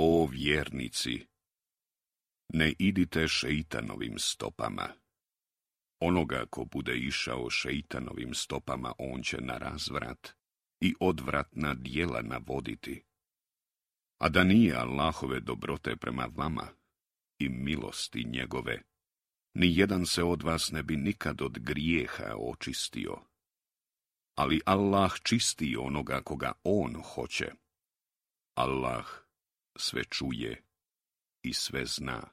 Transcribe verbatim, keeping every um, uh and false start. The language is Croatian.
O vjernici, ne idite šeitanovim stopama. Onoga ko bude išao šeitanovim stopama, on će na razvrat i odvratna djela navoditi. A da nije Allahove dobrote prema vama i milosti njegove, ni jedan se od vas ne bi nikad od grijeha očistio. Ali Allah čisti onoga koga on hoće. Allah sve čuje i sve zna.